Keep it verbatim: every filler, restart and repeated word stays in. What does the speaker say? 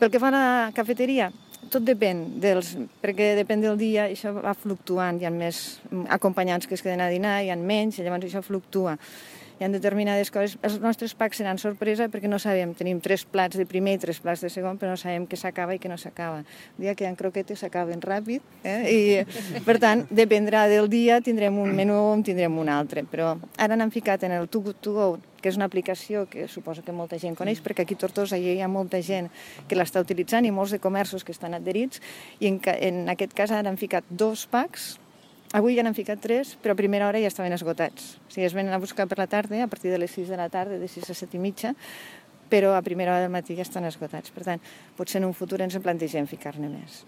Pel que fa a la cafeteria, tot depèn, dels, perquè depèn del dia, això va fluctuant, hi ha més acompanyants que es queden a dinar, hi ha menys, i llavors això fluctua. Hi ha determinades coses. Els nostres packs seran sorpresa perquè no sabem. Tenim tres plats de primer i tres plats de segon, però no sabem què s'acaba i què no s'acaba. Un dia que hi ha croquetes s'acaben ràpid, eh? I per tant, dependrà del dia, tindrem un menú o en tindrem un altre. Però ara n'han ficat en el Too Good To Go, que és una aplicació que suposo que molta gent coneix, perquè aquí a Tortosa hi ha molta gent que l'està utilitzant i molts de comerços que estan adherits, i en, en aquest cas ara han ficat dos packs. Avui ja n'han ficat tres, però a primera hora ja estaven esgotats. O sigui, es venen a buscar per la tarda, a partir de les sis de la tarda, de sis a set i mitja, però a primera hora del matí ja estan esgotats. Per tant, potser en un futur ens en plantegem ficar-ne més.